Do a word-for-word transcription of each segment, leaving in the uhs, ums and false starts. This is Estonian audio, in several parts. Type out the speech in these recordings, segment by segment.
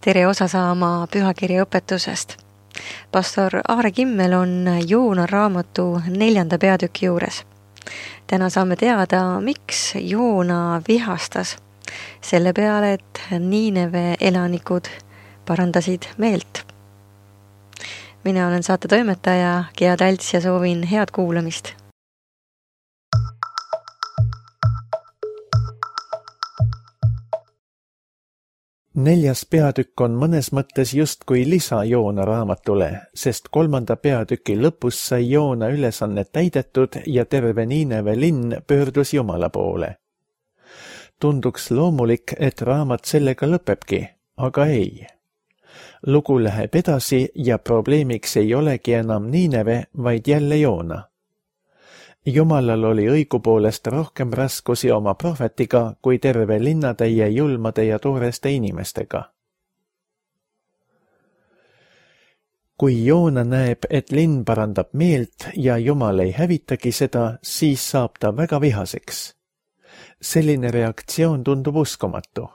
tere osa saama pühakirja õpetusest. Pastor Aare Kimmel on Joona raamatu neljanda peatüki juures. Täna saame teada, miks Joona vihastas selle peale, et Niineve elanikud parandasid meelt. Mina olen saate toimetaja Gea Talts ja soovin head kuulamist. Neljas peatükk on mõnes mõttes justkui lisa Joona raamatule, sest kolmanda peatüki lõpus sai Joona ülesannet täidetud ja terve Niineve linn pöördus Jumala poole. Tunduks loomulik, et raamat sellega lõpebki, aga ei. Lugu läheb edasi ja probleemiks ei olegi enam Niineve, vaid jälle Joona. Jumalal oli õigupoolest rohkem raskusi oma prohvetiga kui terve linnatäie julmade ja tooreste inimestega. Kui Joona näeb, et linn parandab meelt ja Jumal ei hävitagi seda, siis saab ta väga vihaseks. Selline reaktsioon tundub uskumatu.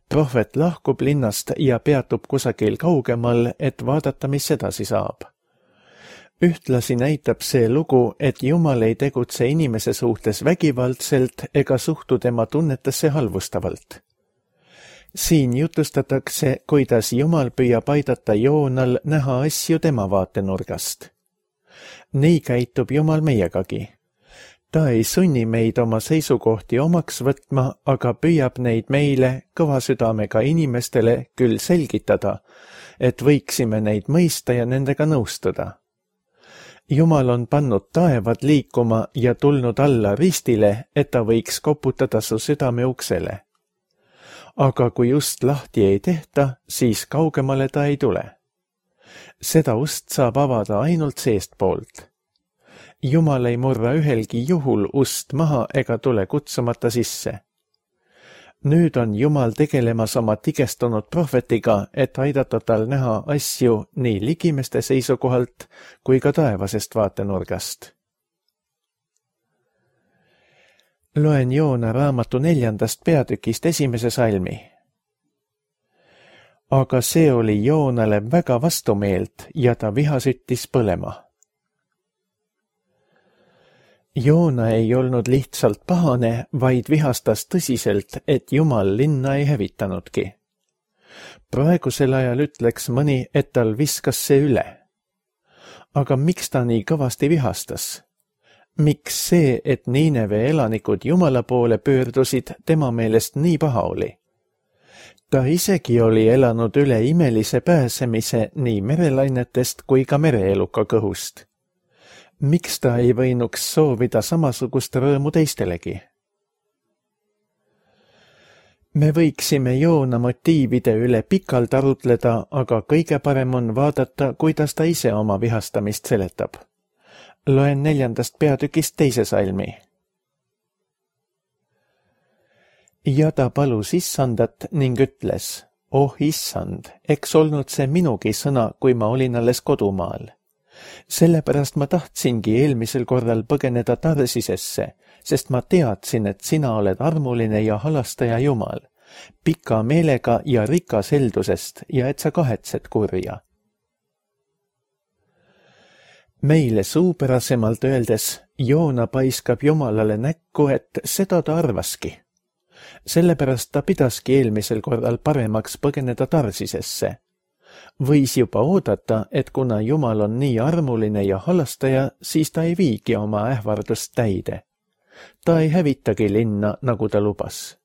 Prohvet lahkub linnast ja peatub kusagil kaugemal, et vaadata, mis edasi saab. Ühtlasi näitab see lugu, et Jumal ei tegutse inimese suhtes vägivaldselt ega suhtu tema tunnetesse halvustavalt. Siin jutustatakse, kuidas Jumal püüab aidata Joonal näha asju tema vaatenurgast. Nii käitub Jumal meiegagi. Ta ei sunni meid oma seisukohti omaks võtma, aga püüab neid meile, kõva südamega inimestele küll selgitada, et võiksime neid mõista ja nendega nõustuda. Jumal on pannud taevad liikuma ja tulnud alla ristile, et ta võiks koputada su südame uksele. Aga kui just lahti ei tehta, siis kaugemale ta ei tule. Seda ust saab avada ainult seestpoolt. Jumal ei murra ühelgi juhul ust maha ega tule kutsumata sisse. Nüüd on Jumal tegelemas oma tigestunud prohvetiga, et aidata tal näha asju nii ligimeste seisukohalt kui ka taevasest vaatenurgast. Loen Joona raamatu neljandast peatükist esimese salmi. Aga see oli Joonale väga vastumeelt ja ta viha süttis põlema. Joona ei olnud lihtsalt pahane, vaid vihastas tõsiselt, et Jumal linna ei hävitanudki. Praegusel ajal ütleks mõni, et tal viskas see üle. Aga miks ta nii kõvasti vihastas? Miks see, et Niineve elanikud Jumala poole pöördusid, tema meelest nii paha oli? Ta isegi oli elanud üle imelise pääsemise nii merelainetest kui ka mereeluka kõhust. Miks ta ei võinuks soovida samasugust rõõmu teistelegi? Me võiksime Joona motiivide üle pikalt arutleda, aga kõige parem on vaadata, kuidas ta ise oma vihastamist seletab. Loen neljandast peatükist teise salmi. Ja ta palus issandat ning ütles, oh issand, eks olnud see minugi sõna, kui ma olin alles kodumaal. Sellepärast ma tahtsingi eelmisel korral põgeneda Tarsisesse, sest ma teadsin, et sina oled armuline ja halastaja Jumal, pika meelega ja rikas heldusest ja et sa kahetsed kurja. Meile suupärasemalt öeldes, Joona paiskab Jumalale näkku, et seda ta arvaski. Sellepärast ta pidaski eelmisel korral paremaks põgeneda Tarsisesse. Võis juba oodata, et kuna Jumal on nii armuline ja halastaja, siis ta ei viigi oma ähvardust täide. Ta ei hävitagi linna, nagu ta lubas.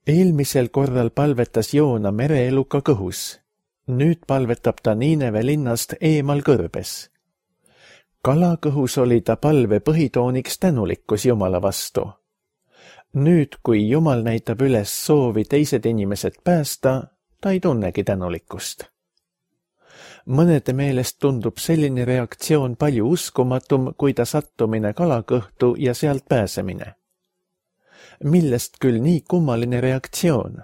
Eelmisel korral palvetas Joona mereeluka kõhus. Nüüd palvetab ta Niineve linnast eemal kõrbes. Kalakõhus oli ta palve põhitooniks tänulikkus Jumala vastu. Nüüd, kui Jumal näitab üles soovi teised inimesed päästa, ta ei tunnegi tänulikkust. Mõnede meelest tundub selline reaktsioon palju uskumatum, kui ta sattumine kalakõhtu ja sealt pääsemine. Millest küll nii kummaline reaktsioon?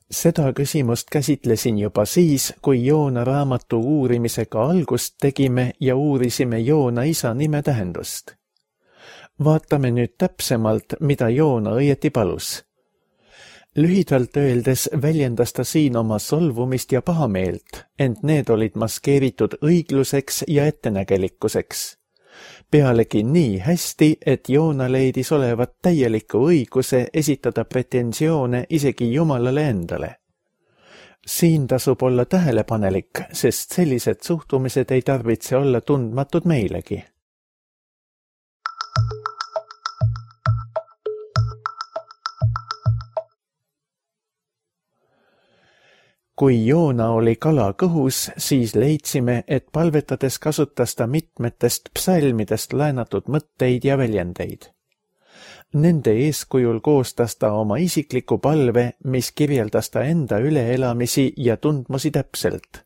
Seda küsimust käsitlesin juba siis, kui Joona raamatu uurimisega algust tegime ja uurisime Joona isa nime tähendust. Vaatame nüüd täpsemalt, mida Joona õieti palus. Lühidalt öeldes väljendas ta siin oma solvumist ja pahameelt, ent need olid maskeeritud õigluseks ja ettenägelikkuseks. Pealegi nii hästi, et Joona leidis olevat täieliku õiguse esitada pretensioone isegi Jumalale endale. Siin tasub olla tähelepanelik, sest sellised suhtumised ei tarvitse olla tundmatud meilegi. Kui Joona oli kala kõhus, siis leidsime, et palvetades kasutas ta mitmetest psalmidest laenatud mõtteid ja väljendeid. Nende eeskujul koostas ta oma isikliku palve, mis kirjeldas ta enda üleelamisi ja tundmusi täpselt.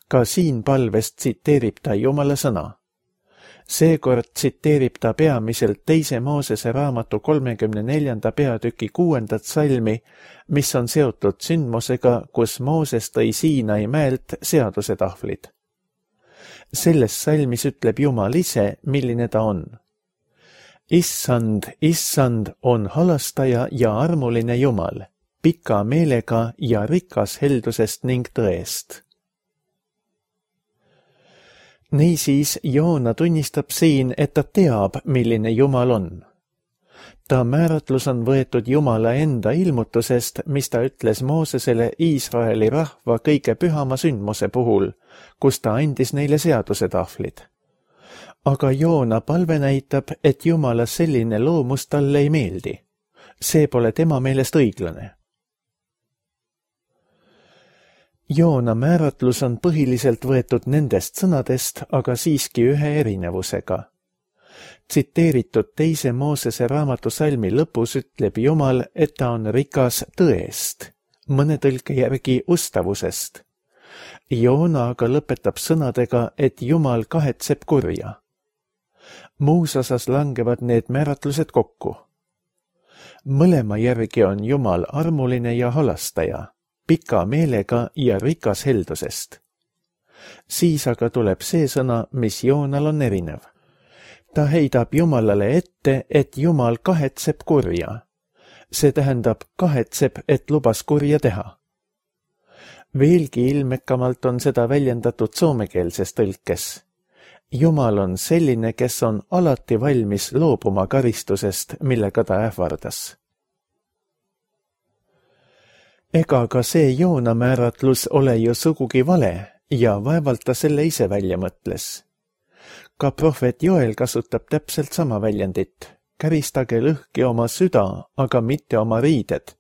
Ka siin palvest tsiteerib ta Jumala sõna. Seekord tsiteerib ta peamiselt teise Moosese raamatu kolmekümne neljanda peatüki kuuendat salmi, mis on seotud sündmusega, kus Mooses tõi Siinai mäelt seadusetahvlid. Selles salmis ütleb Jumal ise, milline ta on. Issand, issand on halastaja ja armuline Jumal, pika meelega ja rikas heldusest ning tõest. Niisiis Joona tunnistab siin, et ta teab, milline Jumal on. Ta määratlus on võetud Jumala enda ilmutusest, mis ta ütles Moosesele Iisraeli rahva kõige pühama sündmuse puhul, kus ta andis neile seadusetahvlid. Aga Joona palve näitab, et Jumala selline loomus talle ei meeldi. See pole tema meelest õiglane. Joona määratlus on põhiliselt võetud nendest sõnadest, aga siiski ühe erinevusega. Tsiteeritud teise Moosese raamatu salmi lõpus ütleb Jumal, et ta on rikas tõest, mõne tõlke järgi ustavusest. Joona aga lõpetab sõnadega, et Jumal kahetseb kurja. Muus osas langevad need määratlused kokku. Mõlema järgi on Jumal armuline ja halastaja, pika meelega ja rikas heldusest. Siis aga tuleb see sõna, mis Joonal on erinev. Ta heidab Jumalale ette, et Jumal kahetseb kurja. See tähendab kahetseb, et lubas kurja teha. Veelgi ilmekamalt on seda väljendatud soomekeelses tõlkes. Jumal on selline, kes on alati valmis loobuma karistusest, millega ta ähvardas. Ega ka see Joona määratlus ole ju sugugi vale ja vaevalt ta selle ise välja mõtles. Ka prohvet Joel kasutab täpselt sama väljendit. Käristage lõhki oma süda, aga mitte oma riided.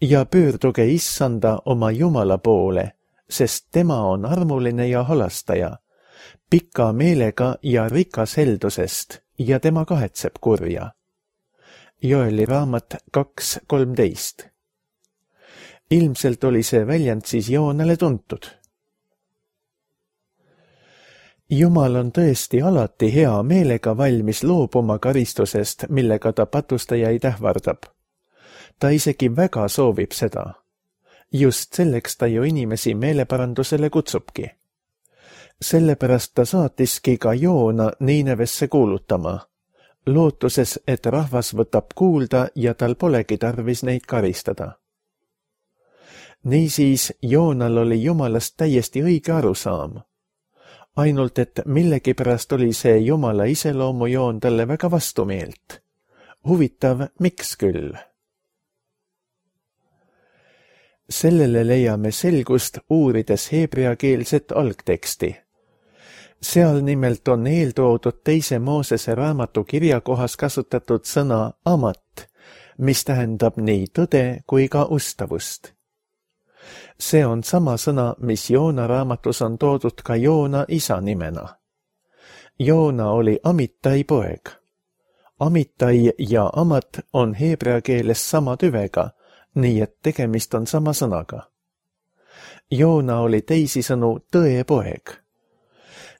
Ja pöörduge issanda oma Jumala poole, sest tema on armuline ja halastaja, pika meelega ja rikas heldusest ja tema kahetseb kurja. Joeli raamat kaks kolmteist. Ilmselt oli see väljend siis Joonale tuntud. Jumal on tõesti alati hea meelega valmis loobuma karistusest, millega ta patustajaid ähvardab. Ta isegi väga soovib seda. Just selleks ta ju inimesi meeleparandusele kutsubki. Sellepärast ta saatiski ka Joona Niinevesse kuulutama, lootuses, et rahvas võtab kuulda ja tal polegi tarvis neid karistada. Niisiis Joonal oli Jumalast täiesti õige arusaam. Ainult, et millegipärast oli see Jumala iseloomujoon talle väga vastumeelt. Huvitav, miks küll? Sellele leiame selgust uurides heebreakeelset algteksti. Seal nimelt on eeltoodud teise Moosese raamatu kirjakohas kasutatud sõna amat, mis tähendab nii tõde kui ka ustavust. See on sama sõna, mis Joona raamatus on toodud ka Joona isa nimena. Joona oli Amittai poeg. Amittai ja amat on heebrea keeles sama tüvega, nii et tegemist on sama sõnaga. Joona oli teisisõnu tõe poeg.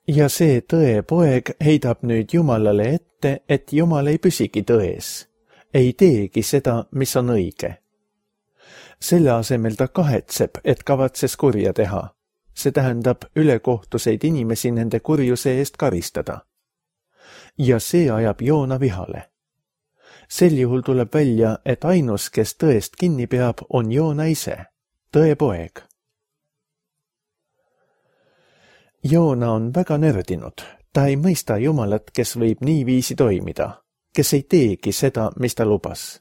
Ja see tõe poeg heidab nüüd Jumalale ette, et Jumal ei püsigi tões, ei teegi seda, mis on õige. Selle asemel ta kahetseb, et kavatses kurja teha. See tähendab ülekohtuseid inimesi nende kurjuse eest karistada. ja see ajab Joona vihale. Sel juhul tuleb välja, et ainus, kes tõest kinni peab, on Joona ise, tõe poeg. Joona on väga nördinud. Ta ei mõista Jumalat, kes võib niiviisi toimida, kes ei teegi seda, mis ta lubas.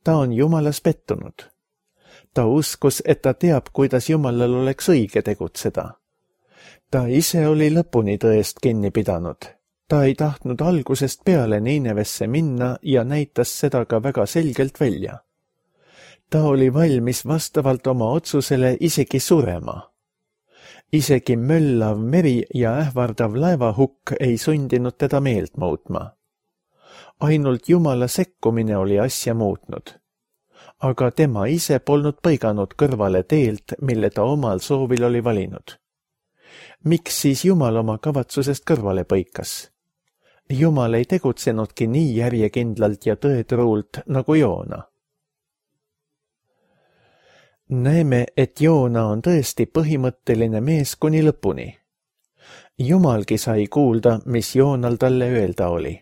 Ta on Jumalas pettunud. Ta uskus, et ta teab, kuidas Jumalal oleks õige tegutseda. Ta ise oli lõpuni tõest kinni pidanud. Ta ei tahtnud algusest peale Niinevesse minna ja näitas seda ka väga selgelt välja. Ta oli valmis vastavalt oma otsusele isegi surema. Isegi möllav meri ja ähvardav laevahukk ei sundinud teda meelt muutma. Ainult Jumala sekkumine oli asja muutnud. Aga tema ise polnud põiganud kõrvale teelt, mille ta omal soovil oli valinud. Miks siis Jumal oma kavatsusest kõrvale põikas? Jumal ei tegutsenudki nii järjekindlalt ja tõetruult nagu Joona. Näeme, et Joona on tõesti põhimõtteline mees kuni lõpuni. Jumalgi sai kuulda, mis Joonal talle öelda oli.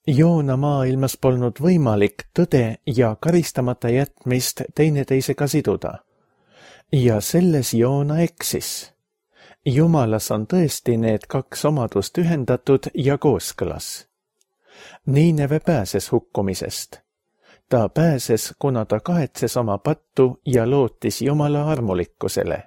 Joona maailmas polnud võimalik tõde ja karistamata jätmist teineteisega siduda. Ja selles Joona eksis. Jumalas on tõesti need kaks omadust ühendatud ja kooskõlas. Niineve pääses hukkumisest. Ta pääses, kuna ta kahetses oma pattu ja lootis Jumala armulikkusele.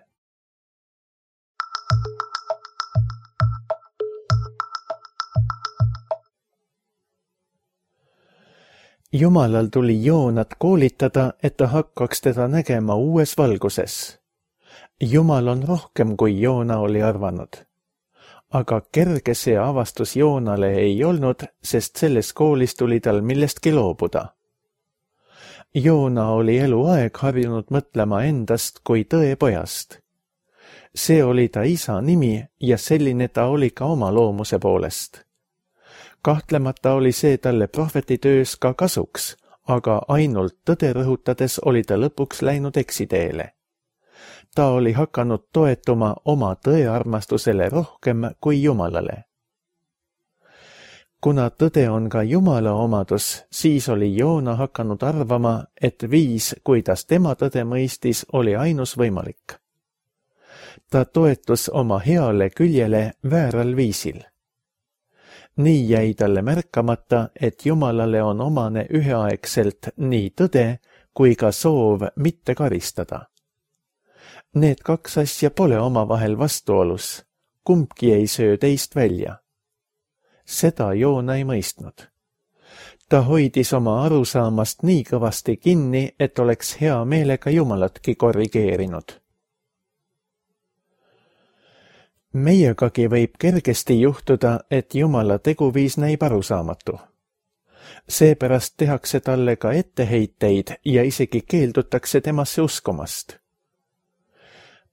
Jumalal tuli Joonat koolitada, et ta hakkaks teda nägema uues valguses. Jumal on rohkem, kui Joona oli arvanud. Aga kerge see avastus Joonale ei olnud, sest selles koolis tuli tal millestki loobuda. Joona oli eluaeg harjunud mõtlema endast kui tõe pojast. See oli ta isa nimi ja selline ta oli ka oma loomuse poolest. Kahtlemata oli see talle prohvetitöös ka kasuks, aga ainult tõde rõhutades oli ta lõpuks läinud eksiteele. Ta oli hakanud toetuma oma tõearmastusele rohkem kui Jumalale. Kuna tõde on ka Jumala omadus, siis oli Joona hakanud arvama, et viis, kuidas tema tõde mõistis, oli ainus võimalik. Ta toetus oma heale küljele vääral viisil. Nii jäi talle märkamata, et Jumalale on omane üheaegselt nii tõde kui ka soov mitte karistada. Need kaks asja pole omavahel vastuolus, kumbki ei söö teist välja. Seda Joona ei mõistnud. Ta hoidis oma arusaamast nii kõvasti kinni, et oleks hea meelega Jumalatki korrigeerinud. Meiegagi võib kergesti juhtuda, et Jumala teguviis näib arusaamatu. Seepärast tehakse talle ka etteheiteid ja isegi keeldutakse temasse uskumast.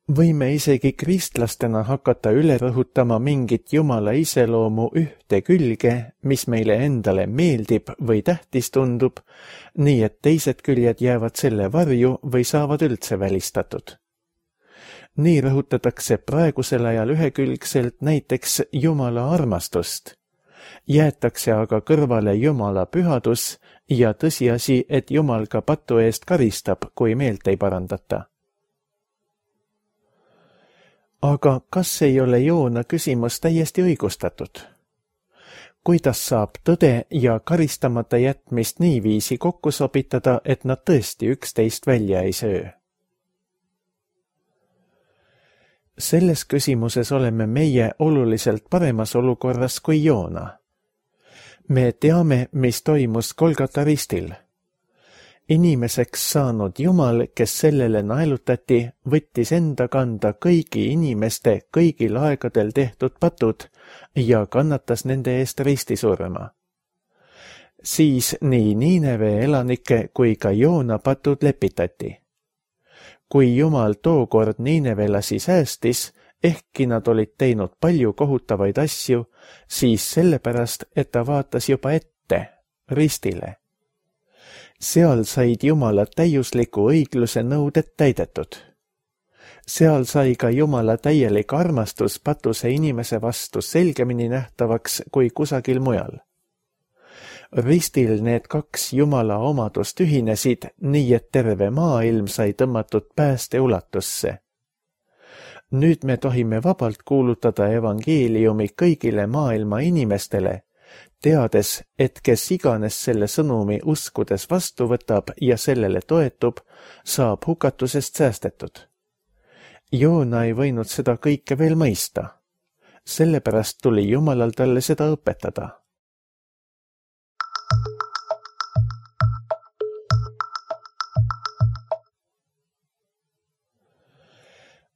Võime isegi kristlastena hakata üle rõhutama mingit Jumala iseloomu ühte külge, mis meile endale meeldib või tähtis tundub, nii et teised küljed jäävad selle varju või saavad üldse välistatud. Nii rõhutatakse praegusel ajal ühekülgselt näiteks Jumala armastust. Jäetakse aga kõrvale Jumala pühadus ja tõsiasi, et Jumal ka patu eest karistab, kui meelt ei parandata. Aga kas ei ole Joona küsimus täiesti õigustatud? Kuidas saab tõde ja karistamata jätmist niiviisi kokku sobitada, et nad tõesti üksteist välja ei söö? Selles küsimuses oleme meie oluliselt paremas olukorras kui Joona. Me teame, mis toimus Golgata ristil. Inimeseks saanud Jumal, kes sellele naelutati, võttis enda kanda kõigi inimeste kõigil aegadel tehtud patud ja kannatas nende eest ristisurma. Siis nii Niineve elanike kui ka Joona patud lepitati. Kui Jumal tookord Niinevelasi säästis, ehkki nad olid teinud palju kohutavaid asju, siis sellepärast, et ta vaatas juba ette, ristile. Seal said Jumala täiusliku õigluse nõuded täidetud. Seal sai ka Jumala täielik armastus patuse inimese vastu selgemini nähtavaks kui kusagil mujal. Ristil need kaks Jumala omadust ühinesid, nii et terve maailm sai tõmmatud pääste ulatusse. Nüüd me tohime vabalt kuulutada evangeeliumi kõigile maailma inimestele, teades, et kes iganes selle sõnumi uskudes vastu võtab ja sellele toetub, saab hukatusest säästetud. Joona ei võinud seda kõike veel mõista. Sellepärast tuli Jumalal talle seda õpetada.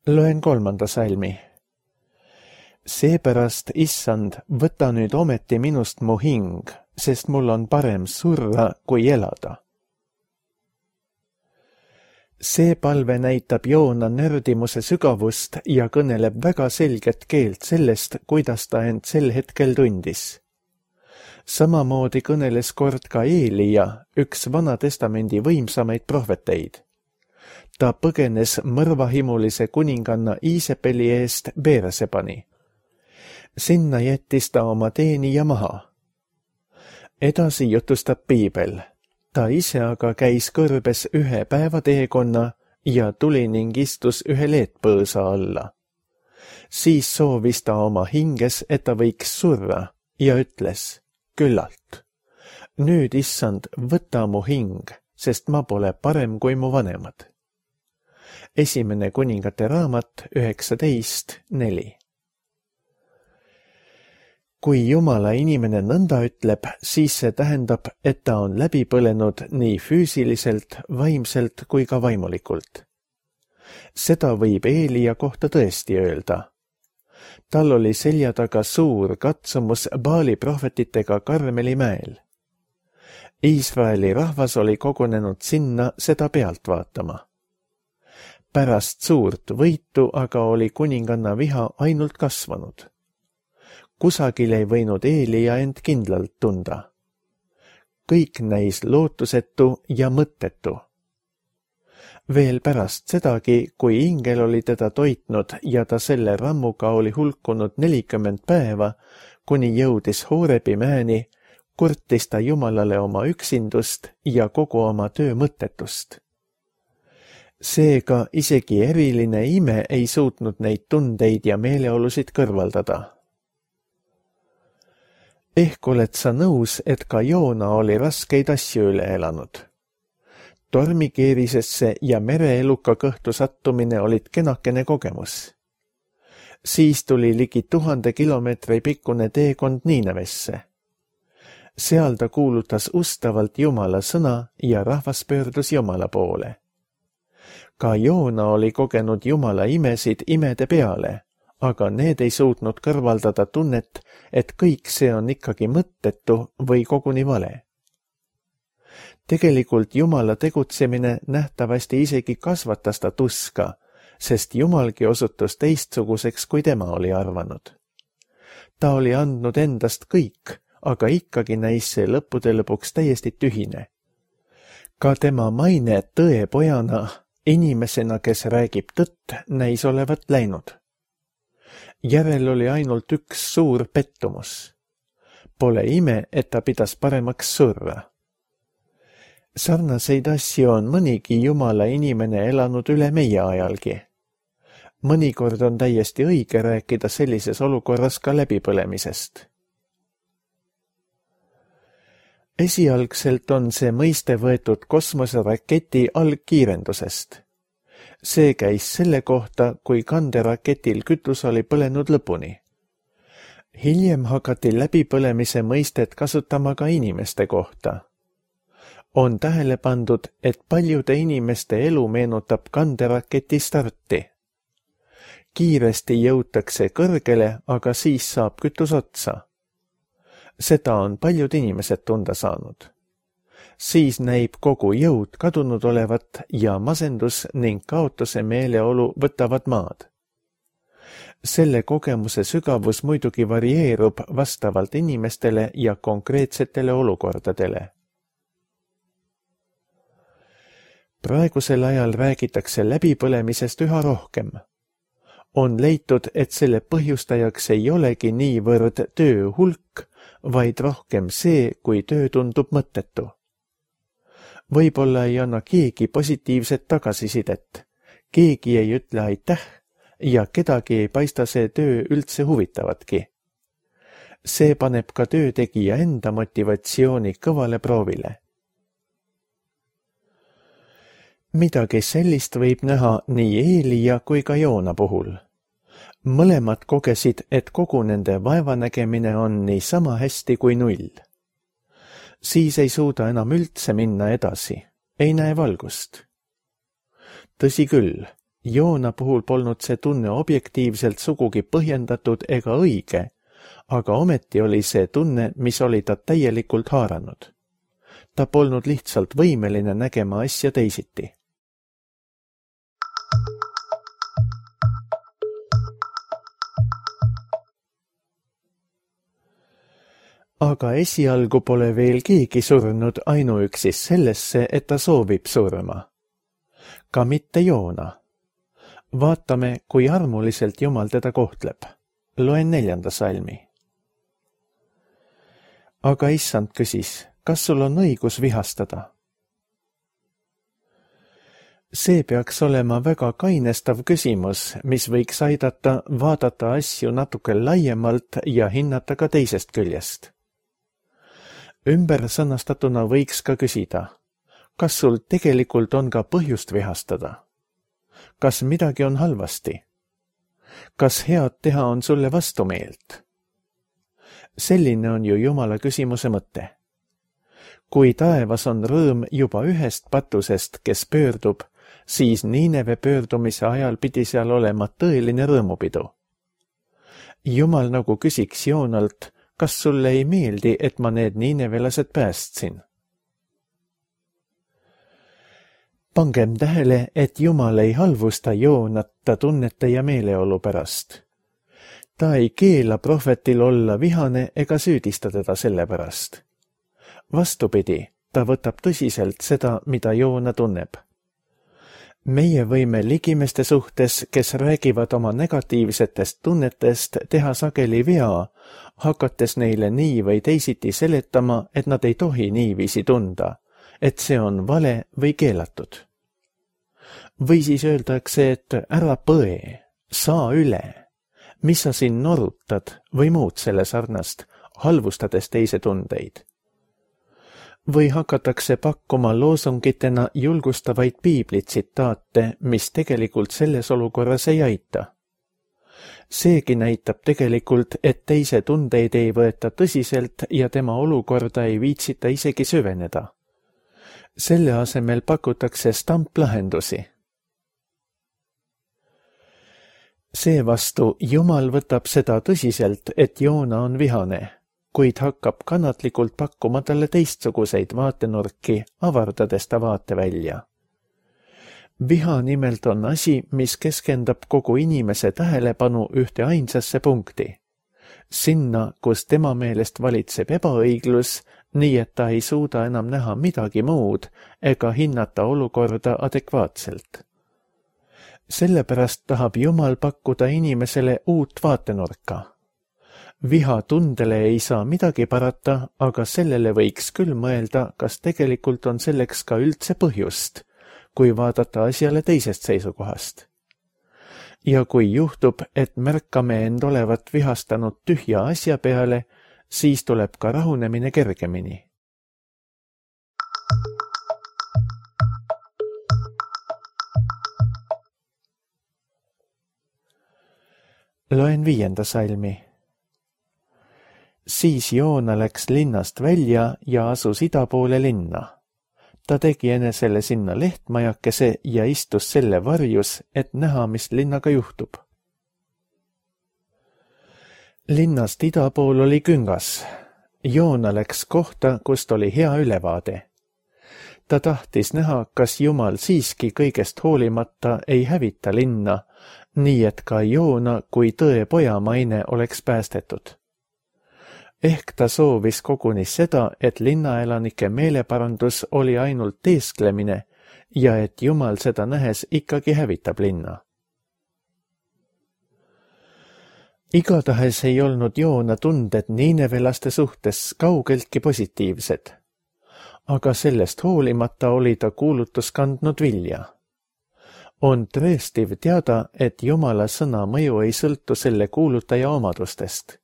Loen kolmanda salmi. Seepärast, issand, võta nüüd ometi minust mu hing, sest mul on parem surra kui elada. See palve näitab Joona nördimuse sügavust ja kõneleb väga selget keelt sellest, kuidas ta end sel hetkel tundis. Samamoodi kõneles kord ka Eelia, üks Vanatestamendi võimsamaid prohveteid. Ta põgenes mõrvahimulise kuninganna Iisepeli eest Beersebani. Sinna jättis ta oma teenija maha. Edasi jutustab piibel. Ta ise aga käis kõrbes ühe päeva teekonna ja tuli ning istus ühe leetpõõsa alla. Siis soovis ta oma hinges, et ta võiks surra ja ütles, küllalt. Nüüd, issand, võta mu hing, sest ma pole parem kui mu vanemad. Esimene kuningate raamat üheksateist neli. Kui Jumala inimene nõnda ütleb, siis see tähendab, et ta on läbi põlenud nii füüsiliselt, vaimselt kui ka vaimulikult. Seda võib Eelia kohta tõesti öelda. Tal oli selja taga suur katsumus Baali prohvetitega Karmeli mäel. Iisraeli rahvas oli kogunenud sinna seda pealt vaatama. Pärast suurt võitu aga oli kuninganna viha ainult kasvanud. Kusagil ei võinud Eelia end kindlalt tunda. Kõik näis lootusetu ja mõttetu. Veel pärast sedagi, kui ingel oli teda toitnud ja ta selle rammuga oli hulkunud nelikümmend päeva, kuni jõudis Hoorebi mäeni, kurtis ta Jumalale oma üksindust ja kogu oma töö mõttetust. Seega isegi eriline ime ei suutnud neid tundeid ja meeleolusid kõrvaldada. Ehk oled sa nõus, et ka Joona oli raskeid asju üle elanud. Tormikeerisesse ja mereeluka kõhtu sattumine olid kenakene kogemus. Siis tuli ligi tuhande kilomeetri pikkune teekond Niinevesse. Seal ta kuulutas ustavalt Jumala sõna ja rahvas pöördus Jumala poole. Ka Joona oli kogenud Jumala imesid imede peale, aga need ei suutnud kõrvaldada tunnet, et kõik see on ikkagi mõttetu või koguni vale. Tegelikult Jumala tegutsemine nähtavasti isegi kasvatas ta tuska, sest Jumalgi osutus teistsuguseks, kui tema oli arvanud. Ta oli andnud endast kõik, aga ikkagi näis see lõppude lõpuks täiesti tühine. Ka tema maine tõepojana, inimesena, kes räägib tõtt, näis olevat läinud. Järel oli ainult üks suur pettumus. Pole ime, et ta pidas paremaks surra. Sarnaseid asju on mõnigi Jumala inimene elanud üle meie ajalgi. Mõnikord on täiesti õige rääkida sellises olukorras ka läbipõlemisest. Esialgselt on see mõiste võetud kosmoseraketi algkiirendusest. See käis selle kohta, kui kanderaketil kütus oli põlenud lõpuni. Hiljem hakati läbipõlemise mõistet kasutama ka inimeste kohta. On tähele pandud, et paljude inimeste elu meenutab kanderaketi starti. Kiiresti jõutakse kõrgele, aga siis saab kütus otsa. Seda on paljud inimesed tunda saanud. Siis näib kogu jõud kadunud olevat ja masendus ning kaotuse meeleolu võtavad maad. Selle kogemuse sügavus muidugi varieerub vastavalt inimestele ja konkreetsetele olukordadele. praegusel ajal räägitakse läbipõlemisest üha rohkem. On leitud, et selle põhjustajaks ei olegi niivõrd töö hulk, vaid rohkem see, kui töö tundub mõttetu. Võib-olla ei anna keegi positiivset tagasisidet, keegi ei ütle aitäh ja kedagi ei paista see töö üldse huvitavatki. See paneb ka töötegija enda motivatsiooni kõvale proovile. Midagi sellist võib näha nii Eelia kui ka Joona puhul. Mõlemad kogesid, et kogu nende vaevanägemine on nii sama hästi kui null. Siis ei suuda enam üldse minna edasi, ei näe valgust. Tõsi küll, Joona puhul polnud see tunne objektiivselt sugugi põhjendatud ega õige, aga ometi oli see tunne, mis oli ta täielikult haaranud. Ta polnud lihtsalt võimeline nägema asja teisiti. Aga esialgu pole veel keegi surnud ainuüksi sellesse, et ta soovib surma. Ka mitte Joona. Vaatame, kui armuliselt Jumal teda kohtleb. Loen neljanda salmi. Aga issand küsis, kas sul on õigus vihastada? See peaks olema väga kainestav küsimus, mis võiks aidata vaadata asju natuke laiemalt ja hinnata ka teisest küljest. Ümber sõnastatuna võiks ka küsida, kas sul tegelikult on ka põhjust vihastada? Kas midagi on halvasti? Kas head teha on sulle vastumeelt? Selline on ju Jumala küsimuse mõte. Kui taevas on rõõm juba ühest patusest, kes pöördub, siis Niineve pöördumise ajal pidi seal olema tõeline rõõmupidu. Jumal nagu küsiks Joonalt, kas sulle ei meeldi, et ma need niinevelased päästsin? Pangem tähele, et Jumal ei halvusta Joonat ta tunnete ja meeleolu pärast. Ta ei keela prohvetil olla vihane ega süüdista teda selle pärast. Vastupidi, ta võtab tõsiselt seda, mida Joona tunneb. Meie võime ligimeste suhtes, kes räägivad oma negatiivsetest tunnetest, teha sageli vea, hakates neile nii või teisiti seletama, et nad ei tohi niiviisi tunda, et see on vale või keelatud. Või siis öeldakse, et ära põe, saa üle, mis sa siin norutad või muud selle sarnast, halvustades teise tundeid. Või hakatakse pakkuma loosungitena julgustavaid piiblitsitaate, mis tegelikult selles olukorras ei aita. Seegi näitab tegelikult, et teise tundeid ei võeta tõsiselt ja tema olukorda ei viitsita isegi süveneda. Selle asemel pakutakse stamplahendusi. Seevastu Jumal võtab seda tõsiselt, et Joona on vihane, kuid hakkab kannatlikult pakkuma talle teistsuguseid vaatenurki, avardades ta vaate välja. Viha nimelt on asi, mis keskendab kogu inimese tähelepanu ühte ainsasse punkti. Sinna, kus tema meelest valitseb ebaõiglus, nii et ta ei suuda enam näha midagi muud ega hinnata olukorda adekvaatselt. Sellepärast tahab Jumal pakkuda inimesele uut vaatenurka. Viha tundele ei saa midagi parata, aga sellele võiks küll mõelda, kas tegelikult on selleks ka üldse põhjust, kui vaadata asjale teisest seisukohast. Ja kui juhtub, et märkame end olevat vihastanud tühja asja peale, siis tuleb ka rahunemine kergemini. Loen viienda salmi. Siis Joona läks linnast välja ja asus ida poole linna. Ta tegi enesele sinna lehtmajakese ja istus selle varjus, et näha, mis linnaga juhtub. Linnast ida pool oli küngas. Joona läks kohta, kust oli hea ülevaade. Ta tahtis näha, kas Jumal siiski kõigest hoolimata ei hävita linna, nii et ka Joona kui tõe poja maine oleks päästetud. Ehk ta soovis koguni seda, et linnaelanike meeleparandus oli ainult teesklemine ja et Jumal seda nähes ikkagi hävitab linna. Igatahes ei olnud Joona tunded niinevelaste suhtes kaugeltki positiivsed, aga sellest hoolimata oli ta kuulutus kandnud vilja. On tõestiv teada, et Jumala sõna mõju ei sõltu selle kuulutaja omadustest.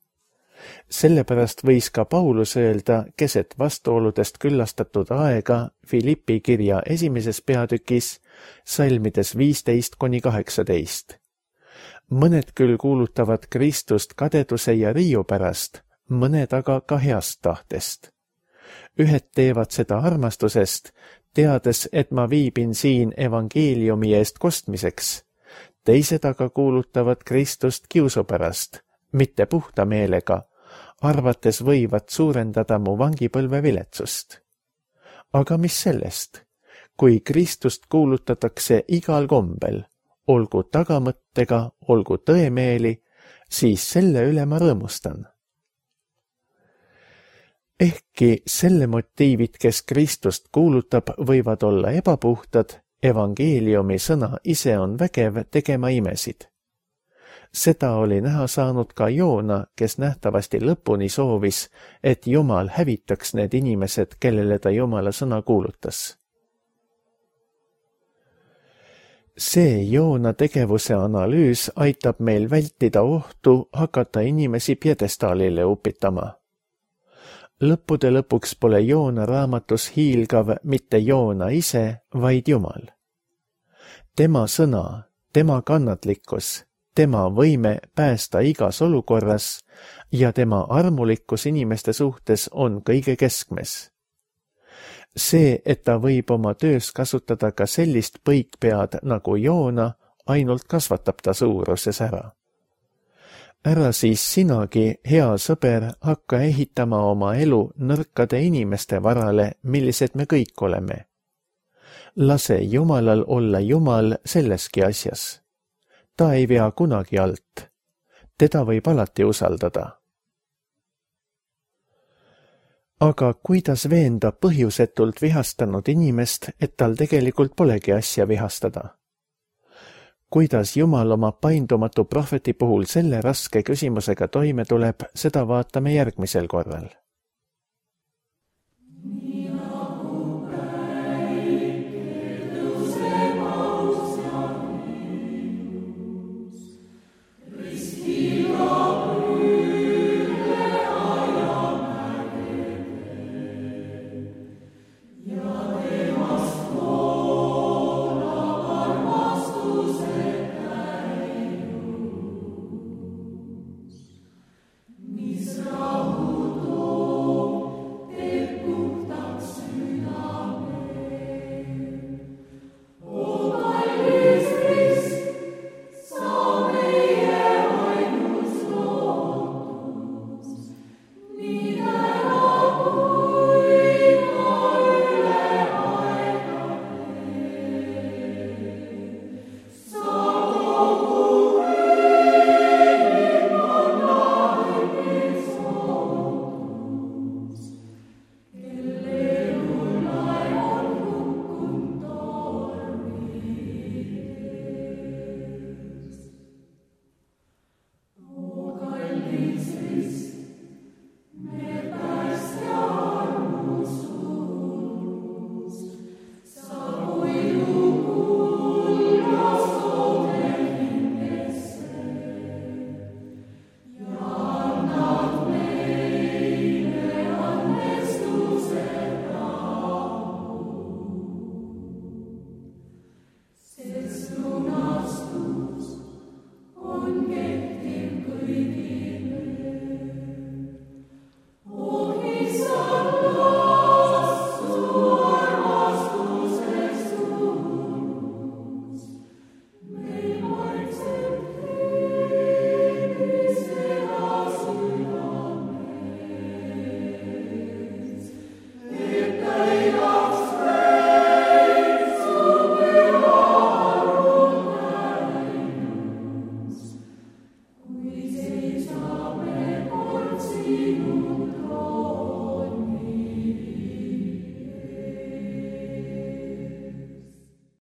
Sellepärast võis ka Paulus öelda keset vastuoludest küllastatud aega Filippi kirja esimeses peatükis, salmides viisteist kuni kaheksateist. Mõned küll kuulutavad Kristust kadeduse ja riiu pärast, mõned aga ka heast tahtest. Ühed teevad seda armastusest, teades, et ma viibin siin evangeeliumi eest kostmiseks. Teised aga kuulutavad Kristust kiusu pärast, mitte puhta meelega, arvates võivad suurendada mu vangipõlve viletsust. Aga mis sellest? Kui Kristust kuulutatakse igal kombel, olgu tagamõttega, olgu tõemeeli, siis selle üle ma rõõmustan. Ehkki selle motiivid, kes Kristust kuulutab, võivad olla ebapuhtad, evangeeliumi sõna ise on vägev tegema imesid. Seda oli näha saanud ka Joona, kes nähtavasti lõpuni soovis, et Jumal hävitaks need inimesed, kellele ta Jumala sõna kuulutas. See Joona tegevuse analüüs aitab meil vältida ohtu hakata inimesi pjedestaalile upitama. Lõppude lõpuks pole Joona raamatus hiilgav mitte Joona ise, vaid Jumal. Tema sõna, tema kannatlikkus, tema võime päästa igas olukorras ja tema armulikkus inimeste suhtes on kõige keskmes. See, et ta võib oma töös kasutada ka sellist põikpead nagu Joona, ainult kasvatab ta suuruses ära. Ära siis sinagi, hea sõber, hakka ehitama oma elu nõrkade inimeste varale, millised me kõik oleme. Lase Jumalal olla Jumal selleski asjas. Ta ei vea kunagi alt. Teda võib alati usaldada. Aga kuidas veenda põhjusetult vihastanud inimest, et tal tegelikult polegi asja vihastada? Kuidas Jumal oma paindumatu prohveti puhul selle raske küsimusega toime tuleb, seda vaatame järgmisel korral.